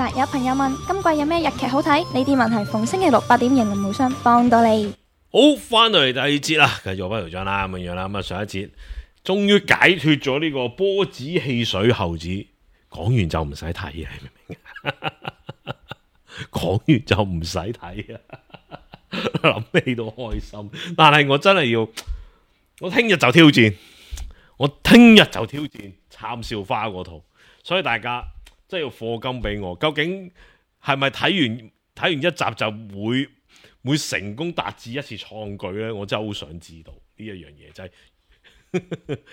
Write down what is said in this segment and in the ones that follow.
實有朋友問今季有咩日劇好睇？呢啲問題逢星期六8點型無雙幫到你。好，翻到嚟第二節啦，繼續我不條章啦，咁樣啦。咁啊，上一節終於解脫咗呢個波子汽水猴子，講完就唔使睇啊，你明唔明？講完就唔使睇啊，諗起都開心。但係我真係要，我聽日就挑戰，杉咲花嗰套，所以大家真係要課金俾我。究竟係咪睇完一集就會成功達至一次創舉呢？我真係好想知道呢一樣嘢，真係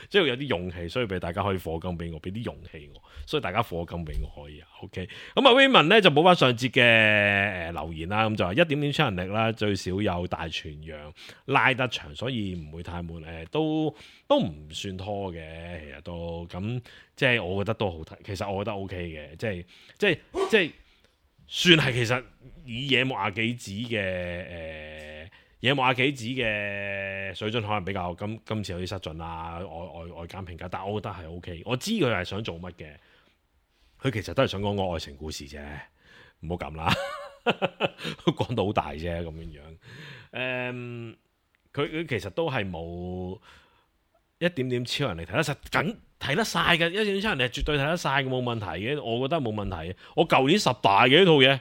即係有啲勇氣，所以俾大家可以課金俾我，俾啲勇氣我，所以大家課金俾我可以啊。OK， 咁啊 Raymond 咧就補翻上節嘅留言啦，咁就話1點超能力啦，最少有大全羊拉得長，所以唔會太悶。都唔算拖嘅，其實都咁即係我覺得都好睇。其實我覺得 OK 嘅，即係算係其實以野木亞紀子嘅水準可能比較今次有啲失準啦，外間評價，但係我覺得係 OK。我知佢係想做乜嘅，佢其實都係想講個愛情故事啫，唔好咁啦，講到好大啫咁樣樣。佢其實都係冇一點點超人嚟睇得實緊。睇得晒嘅，一點超人係絕對睇得晒嘅，冇問題嘅，我覺得冇問題。我舊年10大嘅呢套嘢，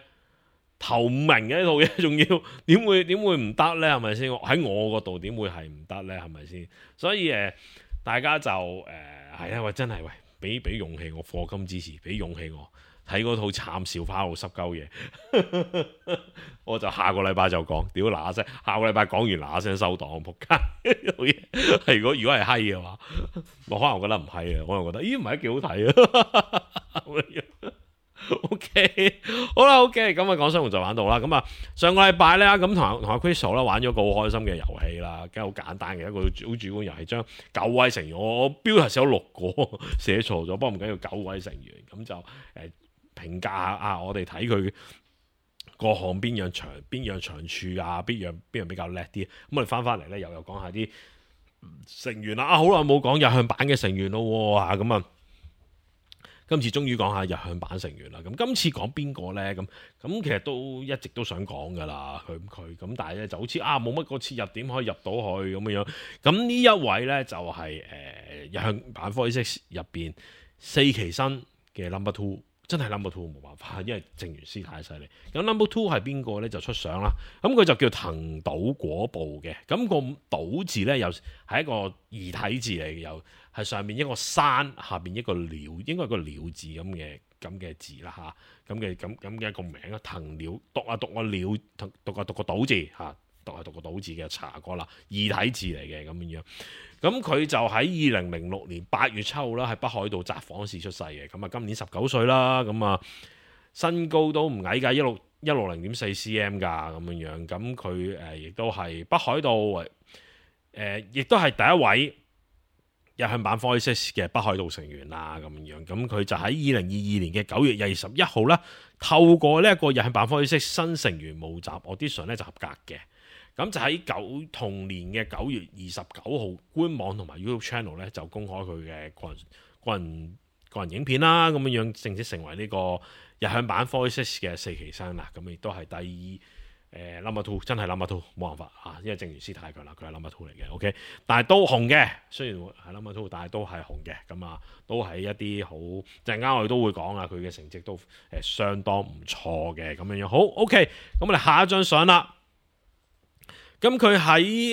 頭5名嘅呢套嘢，仲要點會唔得呢？係咪先？喺我嗰度點會係唔得呢？係咪先？所以大家就係啊，喂，真係喂，俾勇氣我課金支持，俾勇氣我睇嗰套杉咲花好濕鳩嘢，我就下個禮拜就講，屌嗱嗱聲，下個禮拜講完嗱嗱聲收檔，仆街係如果係閪嘅話，我可能覺得唔係啊，我又覺得咦唔係幾好睇啊OK 好啦 OK， 咁啊講新聞就玩到啦。咁啊上個禮拜咧，咁同阿 Crystal 啦玩咗個好開心嘅遊戲啦，梗係好簡單嘅一個好主觀遊戲，將9位成員，我標題寫咗6個寫錯咗，不過唔緊要，9位成員咁就評價下啊，我哋睇佢各項邊樣長處啊，邊樣比較叻啲。咁我哋翻嚟咧，又講下啲成員啦。啊，好耐冇講日向版嘅成員咯啊，咁啊，今次終於講下日向版成員啦。咁今次講邊個咧？咁其實都一直都想講噶啦，佢咁，但係咧就好似冇乜個切入點可以入到去咁樣。咁呢一位咧就係日向版46入邊4期生嘅 number 2。真係 number 2冇辦法，因為正元師太犀利。咁 number 2係邊個咧？就出相啦。咁佢就叫藤島果步嘅。咁個島字咧又係一個異體字嚟嘅，又係上面一個山，下邊一個鳥，應該係個鳥字咁嘅字啦嚇。咁嘅一個名啊，藤鳥讀個鳥，讀個島字嚇，讀個島字嘅查過啦，異體字嚟嘅咁樣。咁佢就喺2006年8月7號啦，喺北海道札幌市出世嘅。咁啊，今年19歲啦。咁啊，身高都唔矮㗎，160.4 cm 㗎咁樣。咁佢亦都係北海道亦都係第一位日向版46嘅北海道成員啦咁樣。咁佢就喺2022年嘅9月21號啦，透過呢一個日向版46新成員募集 audition 咧就合格嘅。咁就喺同年嘅9月29號，官網同埋 YouTube channel 咧就公開佢嘅個人影片啦，咁樣正式成為呢個日向版46嘅4期生啦。咁亦都係第2number 2，真係 number 2冇辦法啊，因為正元師太強啦，佢係 number 2嚟嘅。OK， 但係都紅嘅，雖然係 number 2，但係都係紅嘅。咁啊，都係一啲好陣間我哋都會講啊，佢嘅成績都相當唔錯嘅咁樣。好 OK， 咁我哋下一張相啦。咁佢喺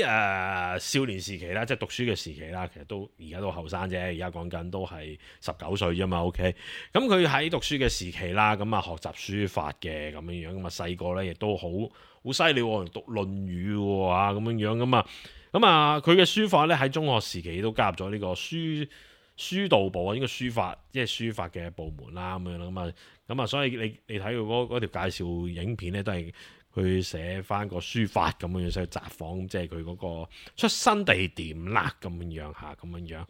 少年時期啦，即係讀書嘅時期啦，其實都而家都後生啫，而家講緊都係19歲啫嘛。OK， 咁佢喺讀書嘅時期啦，咁啊學習書法嘅咁樣，咁啊細個咧亦都好犀利喎，讀《論語》喎咁樣，咁啊佢嘅書法咧喺中學時期都加入咗呢個書道部啊，應該書法嘅部門啦咁樣啦，咁啊所以你睇佢嗰條介紹影片咧都係。佢寫翻個書法咁樣，所以札幌即係佢嗰個出生地點啦，咁樣嚇，咁樣。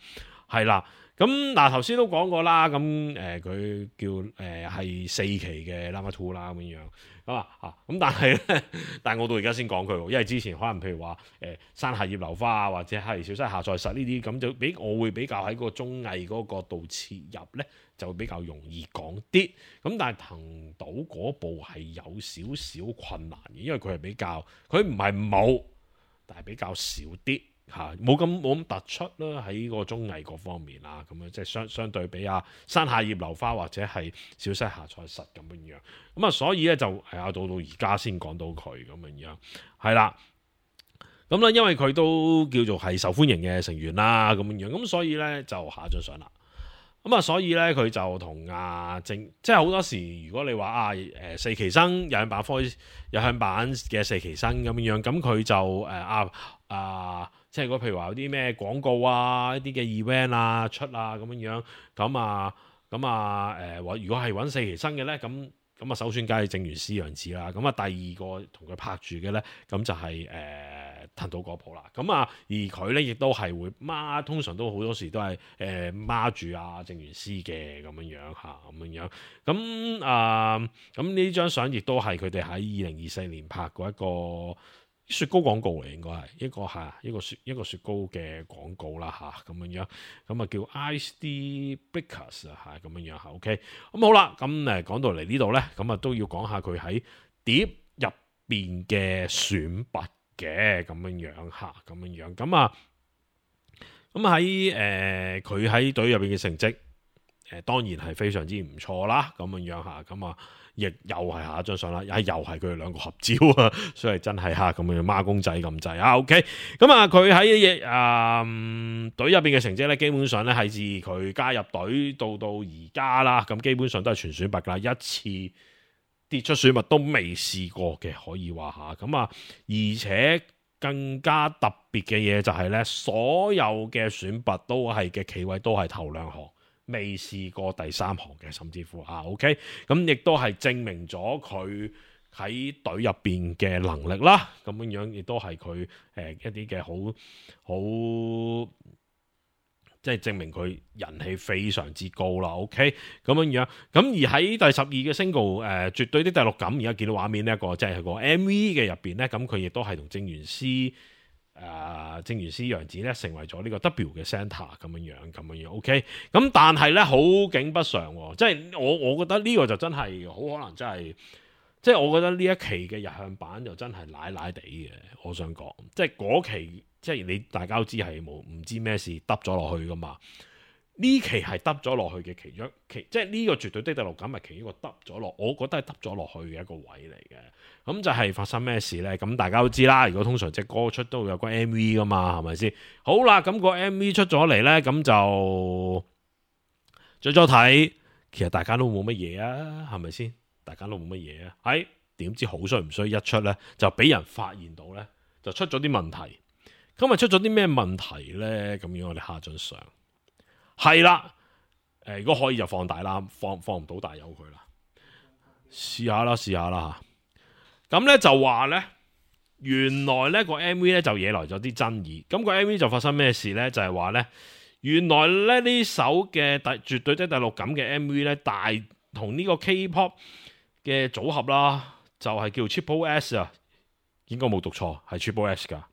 係啦。咁嗱頭先都講過啦，咁佢叫係4期嘅 Llama 2啦咁樣咁但係咧，但係我到而家先講佢喎，因為之前可能譬如話山下葉流花啊，或者係小西下賽實呢啲咁就我會比較喺個綜藝嗰個角度切入咧，就會比較容易講啲。咁但係騰島嗰部係有少少困難嘅，因為佢係比較佢唔係冇，但係比較少啲。冇咁突出啦，喺個綜藝嗰方面啦，咁樣即係相對比山下葉流花或者係小西下賽實咁樣，咁所以咧就係到而家先講到佢咁樣，係啦，咁咧因為佢都叫做係受歡迎嘅成員啦，咁樣，咁所以咧就下咗上啦。咁所以咧佢就同即係好多時，如果你話四期生有向版嘅四期生咁樣，咁佢就即係譬如話有啲咩廣告一啲嘅 event 出咁樣，如果係揾四期生嘅咧，咁首選梗係正原司陽子啦，咁第二個同佢拍住嘅咧，咁就係騰島嗰部啦，而佢咧亦都係會通常都好多時都係孖住正原司嘅咁樣，咁呢張相亦都係佢哋喺2024年拍過一個雪糕廣告嚟，應該係一個雪糕嘅廣告啦咁樣，咁叫 Ice Bakers 咁樣OK，咁好啦，咁講到嚟呢度咧，咁都要講下佢喺碟入邊嘅選拔嘅咁樣，咁喺佢喺隊入邊嘅成績，當然係非常之唔錯啦，咁樣亦又係下一張相啦，又係佢哋兩個合照啊，所以真係咁樣孖公仔咁滯OK，咁佢喺隊入邊嘅成績咧，基本上咧係自佢加入隊到而家啦，咁基本上都係全選拔噶啦，一次跌出選拔都未試過嘅，可以話而且更加特別嘅嘢就係咧，所有嘅選拔都係嘅企位都係頭兩行。未試過第三行嘅，甚至乎OK，咁亦都係證明咗佢喺隊入邊嘅能力啦，咁樣亦都係佢一啲嘅好即係證明佢人氣非常之高啦。OK，咁樣，咁而喺第12嘅 single 絕對的第六感，而家見到畫面呢一個即係個 MV 嘅入邊咧，咁佢亦都係同正原司陽子咧成為咗呢個 W 嘅 centre 咁樣 OK， 咁但係咧好景不常，即係我覺得呢個就真係好可能真係，即係我覺得呢一期嘅日向版就真係奶地嘅，我想講，即係嗰期即係你大家都知係唔知咩事耷咗落去噶嘛。呢期係耷咗落去嘅其中即係呢個絕對的第六感係其中一個耷咗落，我覺得係耷咗落去嘅一個位嚟嘅。咁就係發生咩事呢？咁大家都知啦，如果通常隻歌出都會有個 MV 噶嘛，係咪先？好啦，咁個 MV 出咗嚟呢，咁就最初睇，其實大家都冇乜嘢啊，係咪先？大家都冇乜嘢啊，點知好衰唔衰一出呢，就俾人發現到呢，就出咗啲問題。咁咪出咗啲咩問題呢？咁樣我哋下張相。係啦，如果可以就放大啦，放唔到大有佢啦，試下啦。咁咧就話咧，原來咧個 MV 咧就惹來咗啲爭議。咁個 MV 就發生咩事咧？就係話咧，原來咧呢首嘅絕對的第六感嘅 MV 咧，同呢個 K-pop 嘅組合啦，就係叫 Triple S 啊，應該冇讀錯，係 Triple S 噶。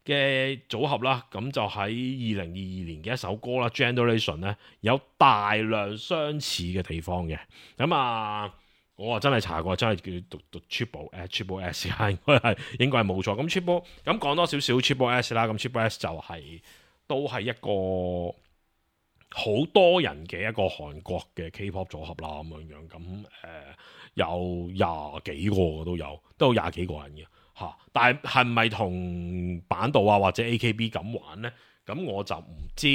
嘅組合啦，咁就喺2022年嘅一首歌啦 ，Generation 咧有大量相似嘅地方嘅。咁我真係查過，真係叫讀 Triple S 應該係冇錯。咁 Triple 咁講多少少 Triple S 啦，咁 Triple S 就都係一個好多人嘅一個韓國嘅 K-pop 組合啦，咁樣咁有20幾個都有20幾個人嘅。但係咪同板道或者 AKB 咁玩呢？咁我就唔知，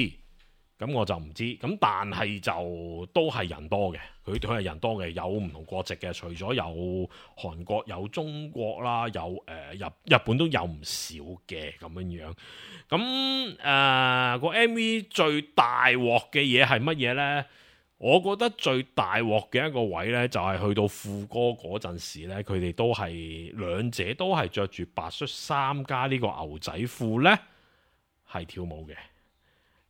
咁但係就都係人多嘅，佢係人多嘅，有唔同國籍嘅，除咗有韓國、有中國啦，有日本都有唔少嘅咁樣。咁個 MV 最大鑊嘅嘢係乜嘢呢？我覺得最大鑊嘅一個位呢，就係去到副歌嗰陣時呢，佢哋都係兩者都係着住白恤衫加呢個牛仔褲呢，係跳舞嘅。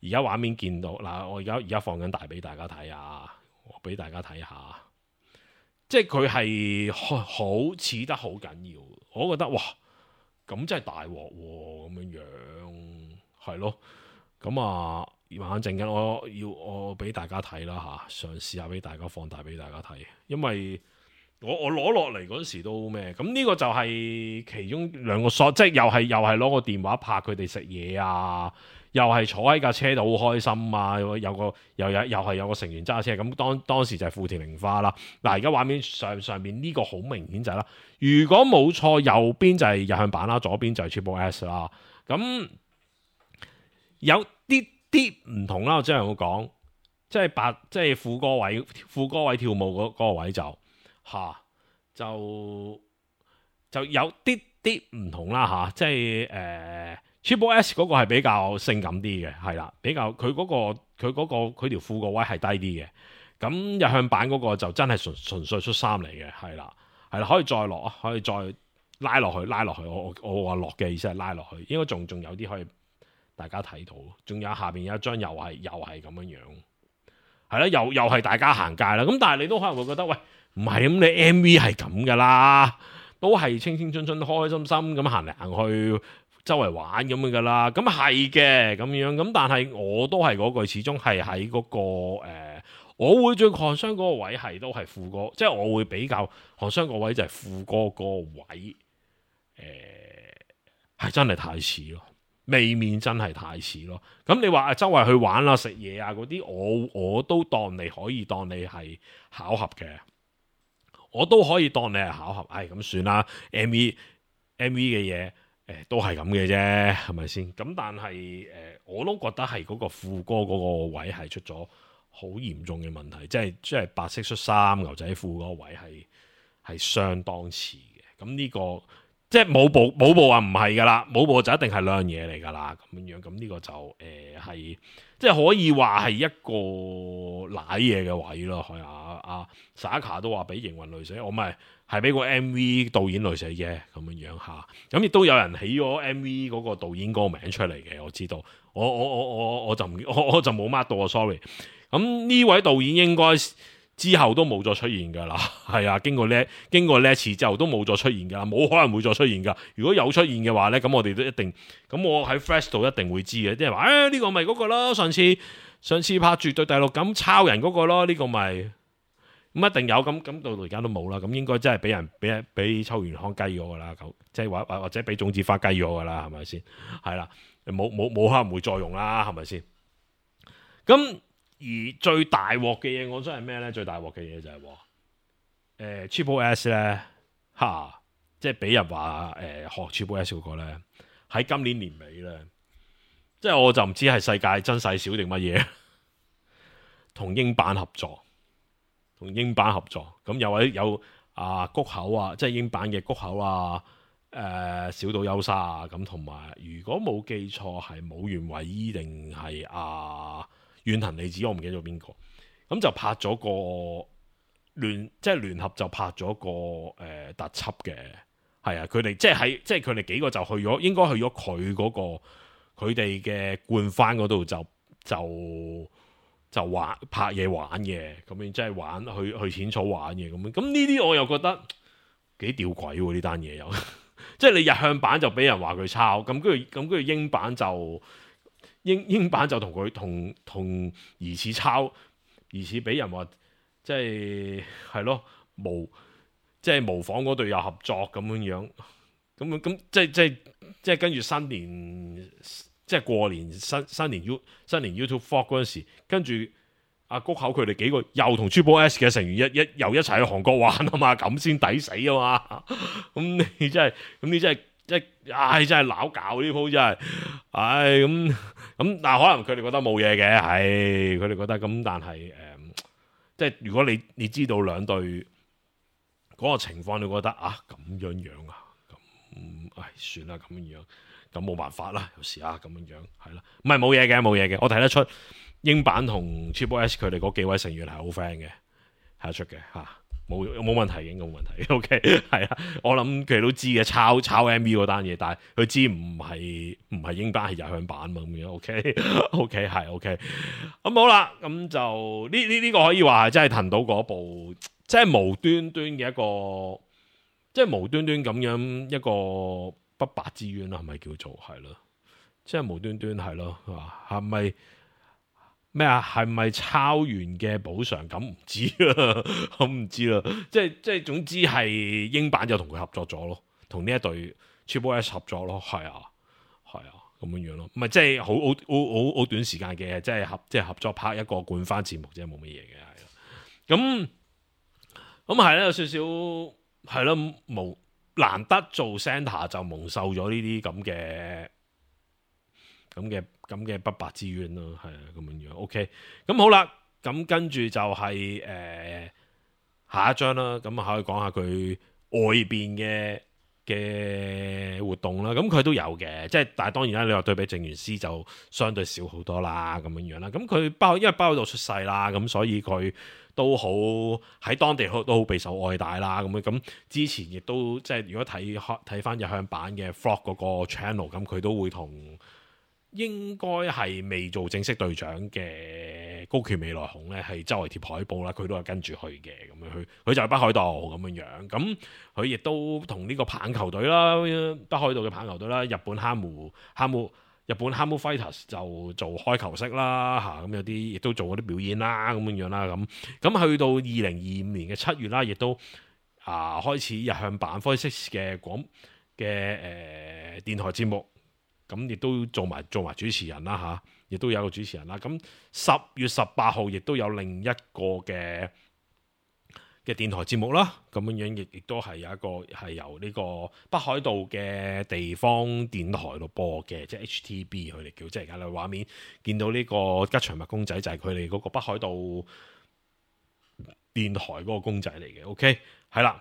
而家畫面見到嗱，我而家放緊大俾大家睇啊，我俾大家睇下，即係佢係好似得好緊要，我覺得哇，咁真係大鑊喎，咁樣係咯，咁啊，慢慢陣間我俾大家睇啦嚇，嘗試下俾大家放大俾大家睇，因為我攞落嚟嗰時都咩，咁呢個就係其中兩個 shot，即係又係攞個電話拍佢哋食嘢啊。又係坐喺架車度好開心啊！又係有個成員揸車咁，當時就係富田玲花啦。嗱，而家畫面上面呢個好明顯就係啦。如果冇錯，右邊就係日向版啦，左邊就係 Triple S 啦。咁有啲唔同啦，我即係我講，即係副歌位跳舞嗰個位就有啲唔同啦嚇，即係Triple S 嗰個係比較性感啲嘅，係啦，比較佢條褲個位係低啲嘅。咁日向版嗰個就真係純粹出衫嚟嘅，係啦，可以再落啊，可以再拉落去。我話落嘅意思係拉落去，應該仲有啲可以大家睇到。仲有下邊有一張又係咁樣樣，係啦，又係大家行街啦。咁但係你都可能會覺得，喂，唔係咁，你 MV 係咁噶啦，都係青青春春、開開心心咁行嚟行去。周圍玩咁樣噶啦，咁係嘅咁樣，咁但係我都係嗰句，始終係喺嗰個我會最抗傷嗰個位係都係副歌，即係我會比較抗傷個位就係副歌嗰個位，係真係太似咯，未免真係太似咯。咁你話周圍去玩啦、食嘢啊嗰啲，我都當你可以當你係巧合嘅，我都可以當你係巧合，咁算啦。MV 嘅嘢。都係咁嘅啫，係咪先？咁但係我都覺得係嗰個副歌嗰個位係出咗好嚴重嘅問題，即係白色恤衫牛仔褲嗰個位係相當似嘅。咁呢個即係舞步話唔係噶啦，舞步就一定係兩樣嘢嚟噶啦，咁樣。咁呢個就係即係可以話係一個瀨嘢嘅位咯。係啊Saka 都話俾營運累死，我咪。係俾個 MV 導演累死啫，咁樣嚇，咁亦都有人起咗 MV 嗰個導演嗰個名出嚟嘅，我知道，我就冇 mark 到啊 ，sorry。咁呢位導演應該之後都冇再出現㗎啦，係啊，經過呢一次之後都冇再出現㗎啦，冇可能會再出現㗎。如果有出現嘅話咧，咁我哋都一定，咁我喺 Flash 度一定會知嘅，即係話呢個咪嗰個咯，上次拍絕對第六感抄人嗰個咯，呢個咪。咁一定有，咁到而家都冇啦，咁應該真係俾秋元康雞咗噶啦，即係或者俾種子花雞咗噶啦，係咪先？係啦，冇可能會再用啦，係咪先？咁而最大鑊嘅嘢，我真係咩咧？最大鑊嘅嘢就係Triple S 咧，即係俾人話學 Triple S 嗰個咧，喺今年年尾咧，即係我就唔知係世界真細小定乜嘢，同英版合作。咁有谷口啊，即係英版嘅谷口啊，小島優沙啊，咁同埋如果冇記錯係武原惠依定係遠藤利子，我唔記得咗邊個，咁就拍咗個聯合就拍咗個特輯嘅，係啊，佢哋即係佢哋幾個就去咗，應該去咗佢嗰個佢哋嘅冠番嗰度就玩拍嘢玩嘅，咁樣即係玩去淺草玩嘅咁樣，咁呢啲我又覺得幾吊詭喎，呢單嘢又，即係你日向版就俾人話佢抄，咁跟住英版就英版就同佢同疑似抄，疑似俾人話即係咯即係模仿嗰隊有合作咁樣，咁即係跟住新年。即係過年新年 YouTube Vlog 嗰陣時，跟住谷口佢哋幾個又同 Triple S 嘅成員又一齊去韓國玩啊嘛，咁先抵死啊嘛！咁你真係真係鬧搞呢鋪真係，咁但係可能佢哋覺得冇嘢嘅，佢哋覺得咁，但係即係如果你知道兩隊嗰個情況，你覺得咁樣啊，咁算啦咁樣。咁冇辦法啦，有時咁樣係啦，唔係冇嘢嘅，我睇得出英版同 Triple S 佢哋嗰幾位成員係好 friend 嘅，睇得出嘅嚇。冇問題，應該冇問題。OK， 係啊，我諗佢哋都知嘅，抄 MV 嗰單嘢，但係佢知唔係英版係日向版嘛咁樣。OK， 係 OK。咁好啦，咁就呢個可以話係真係騰到嗰部，即係無端端嘅一個，即係無端端咁樣一個不白之冤啦，係咪叫做係咯？即係無端端係咯，係咪？咩啊？係咪抄完嘅補償？咁唔知啦，我唔知啦。即係總之係英版就同佢合作咗咯，同呢一隊 Triple S 合作咯，係啊咁樣樣咯。唔係即係好短時間嘅，即係合作拍一個冠番節目啫，冇乜嘢嘅係咯。咁係咧，有少少係咯，難得做 Santa 就蒙受咗呢啲咁嘅不白之冤咯，係啊咁樣樣。OK， 咁好啦，咁跟住就係下一章啦，咁可以講下佢外邊嘅活動啦。咁佢都有嘅，即係但係當然啦，你話對比正元師就相對少好多啦，咁樣樣啦。咁佢因為包喺度出世啦，咁所以佢都好喺當地都好備受愛戴啦。咁之前亦都即係如果睇翻日向版嘅 Vlog 嗰個 channel， 咁佢都會同應該係未做正式隊長嘅高橋未來雄咧，係周圍貼海報啦，佢都係跟住去嘅咁樣，佢就係北海道咁樣樣。咁佢亦都同呢個棒球隊啦，北海道嘅棒球隊啦，日本哈姆 Fighters 就做開球式啦嚇，咁有啲亦都做嗰啲表演啦咁樣樣啦。咁去到2025年嘅7月啦，亦都開始日向版 Voice6 嘅電台節目。咁亦都做埋主持人啦嚇，亦都有個主持人啦。咁10月18號亦都有另一個嘅電台節目啦。咁樣亦都係有一個係由呢個北海道嘅地方電台度播嘅，即係 HTB 佢哋叫，即係而家你畫面見到呢個吉祥物公仔就係佢哋嗰個北海道電台嗰個公仔嚟嘅。OK， 係啦。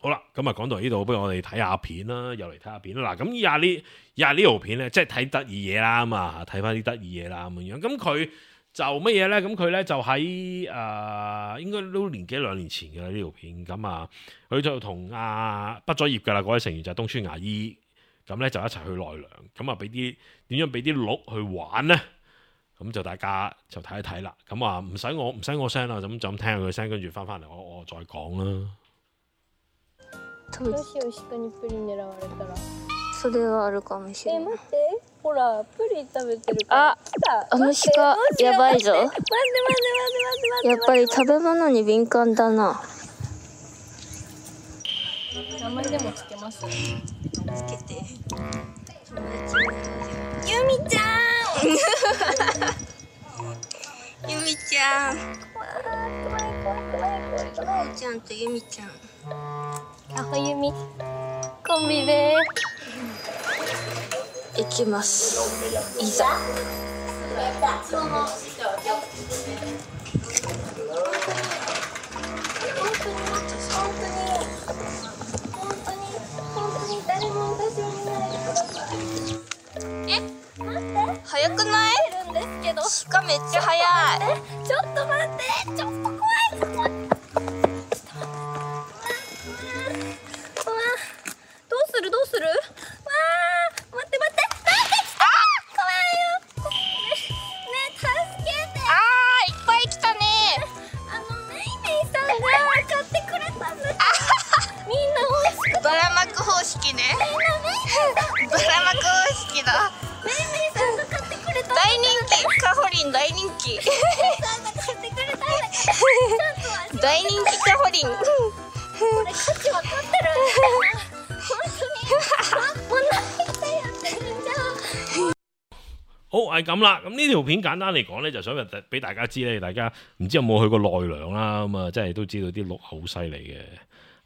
好啦，咁啊講到呢度，不如我哋睇下片啦，又嚟睇下片啦。嗱，咁以下呢條片咧，即係睇得意嘢啦嘛，睇翻啲得意嘢啦咁樣。咁佢就乜嘢咧？咁佢咧就喺應該都年幾兩年前嘅啦呢條片。咁佢就同畢咗業嘅啦嗰位成員就係東村芽衣，咁咧就一齊去奈良。咁點樣俾啲鹿去玩咧？咁就大家就睇一睇啦。咁唔使我聲啦，咁就咁聽下佢聲，跟住翻嚟我再講啦。どうしよう、鹿にプリン狙われたら。それはあるかもしれない。待って、ほら、プリン食べてるから。あの鹿やばいぞ。待って。やっぱり食べ物に敏感だな。名前でもつけます。つけて。ゆみちゃん。ゆみちゃん。ゆみちゃんとゆみちゃん。あほゆみコンビで行きます。いざ。早くない？鹿めっちゃ早い。ちょっと待って、ちょっと怖い。どうする？わー、待って。怖いよ。ね、助けて。いっぱい来たね。メイさんが買ってくれたんだ。みんな美味しくて。バラマク方式ね。バラマク方式だ。メイさんが買ってくれた。大人気。カホリン大人気。メイさんが買ってくれたんだ。大人気カホリン。これ価値分かってる。好係咁啦，咁呢條片簡單嚟講咧，就想俾大家知咧，大家唔知有冇去過奈良啦，咁即係都知道啲鹿好犀利嘅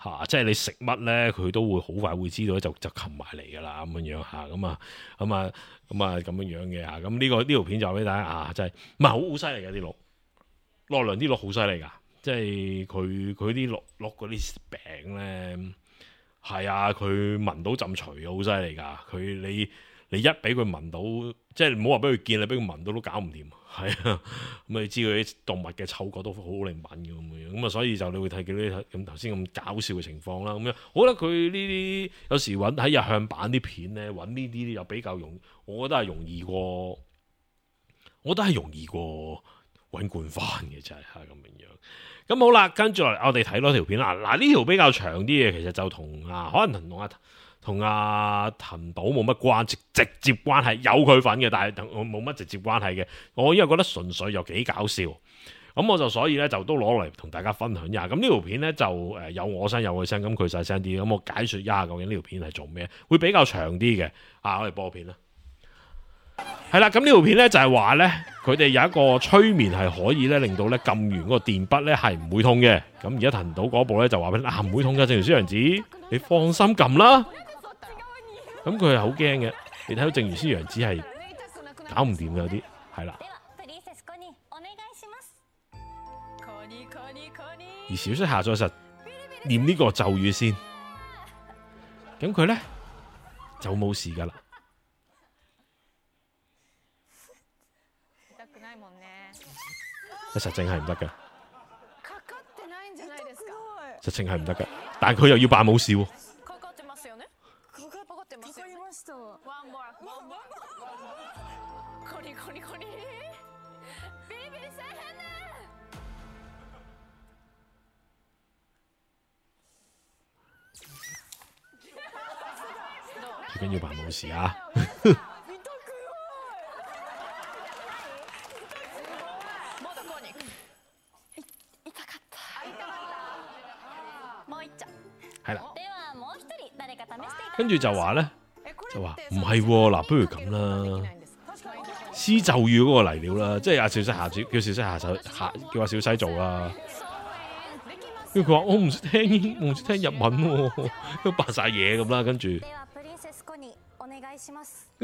嚇，即係你食乜咧，佢都會好快會知道，就擒埋嚟噶啦咁樣嚇，咁樣嘅嚇，咁呢條片就俾大家真係唔係好犀利嘅啲鹿，奈良啲鹿好犀利噶，即係佢啲鹿嗰啲餅咧。係啊，佢聞到陣除好犀利㗎，你一俾佢聞到，即係唔好話俾佢見，你俾佢聞到都搞唔掂。係啊，咁你知佢啲動物嘅嗅覺都好靈敏嘅咁樣，咁啊所以就你會睇見啲咁頭先咁搞笑嘅情況啦。咁樣，我覺得佢呢啲有時揾喺日向版啲片咧，揾呢啲又比較容，我覺得係容易過，揾罐翻嘅真係咁樣。咁好啦，跟住嚟我哋睇多條片啦。嗱呢條比較長啲嘅，其實就可能同阿藤島冇乜直接關係，有佢份嘅，但係冇乜直接關係嘅。我因為覺得純粹又幾搞笑，咁我就所以咧就都攞嚟同大家分享一下。咁呢條片咧就有我聲有佢聲，咁佢細聲啲，咁我解説一下究竟呢條片係做咩，會比較長啲嘅。我哋播片啦。係啦，咁呢條片咧就係話咧，佢哋有一個催眠係可以咧令到咧撳完嗰個電筆咧係唔會痛嘅。咁而家藤島嗰部咧就話俾你唔會痛嘅，正如小楊子，你放心撳啦。咁佢係好驚嘅，你睇到正如小楊子係搞唔掂嘅有啲，係啦。而小息下載實念呢個咒語先，咁佢咧就冇事噶啦。實情係唔得嘅，實情係唔得嘅，但係佢又要扮冇事喎。最緊要扮冇事啊！係啦，跟住就話咧，就話唔係嗱，不如咁啦，施咒語嗰個嚟料啦，即係阿小西下叫小西下手叫阿小西做啦。跟住佢話我唔識聽，我唔識聽日文喎，都扮晒嘢咁啦。跟住，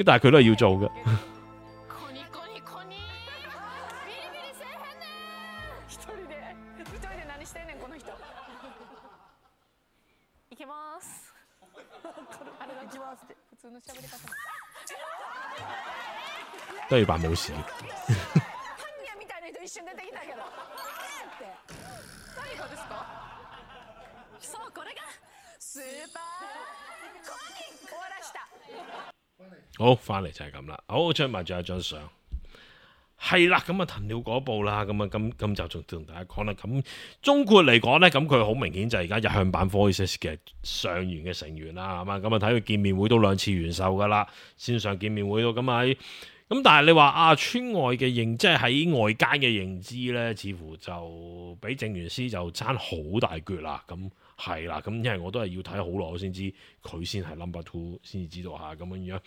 但係佢都係要做嘅。都要扮冇事。好，翻嚟就係咁啦。好，出埋仲有張相，係啦。咁啊，藤了嗰部啦。咁啊，咁就仲同大家講啦。咁總括嚟講咧，咁佢好明顯就係而家日向版 Voices 嘅上元嘅成員啦，係嘛。咁啊，睇佢見面會都2次完售噶啦，線上見面會都咁喺。咁但係你話村外嘅認，即係喺外間嘅認知咧，似乎就比正元師就差好大橛啦。咁係啦，咁因為我都係要睇好耐，我先知佢先係 number 2，先至知道下咁樣。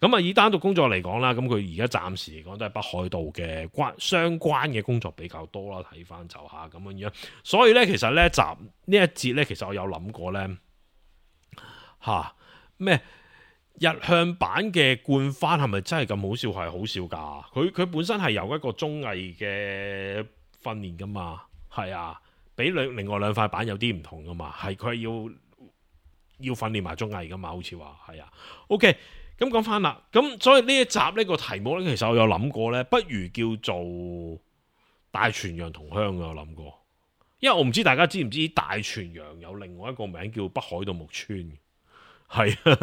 咁啊，以單獨工作嚟講啦，咁佢而家暫時嚟講都係北海道嘅相關嘅工作比較多啦。睇翻就下咁樣。所以咧，其實咧呢一節咧，其實我有諗過咧咩？日向版嘅冠番係咪真係咁好笑？係好笑㗎。佢本身係由一個綜藝嘅訓練㗎嘛，係啊，比另外2塊板有啲唔同㗎嘛，係佢係要訓練埋綜藝㗎嘛，好似話係啊。OK，咁講翻啦，咁所以呢一集呢個題目咧，其實我有諗過咧，不如叫做大泉洋同鄉嘅，我諗過，因為我唔知大家知唔知大泉洋有另外一個名叫北海道木村。係啊，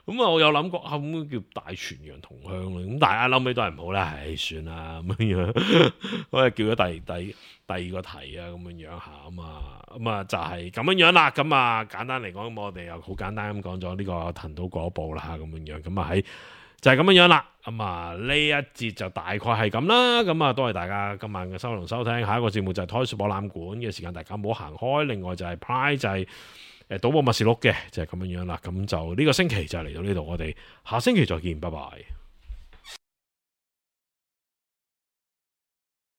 咁我有諗過咁叫大泉洋同鄉咯，咁大家諗起都係唔好啦，算啦咁樣，我係叫咗第二個題啊，咁樣下咁啊就係咁樣啦，咁啊簡單嚟講，咁我哋又好簡單咁講咗呢個藤島嗰部啦，咁樣咁啊喺就係咁樣啦，咁啊呢一節就大概係咁啦，咁啊多謝大家今晚嘅收聽收聽，下一個節目就係 Toys 博覽館嘅時間，大家唔好行開，另外就係 Pride 就係。賭博默示錄嘅就係咁樣啦，咁就呢個星期就嚟到呢度，我哋下星期再見，拜拜。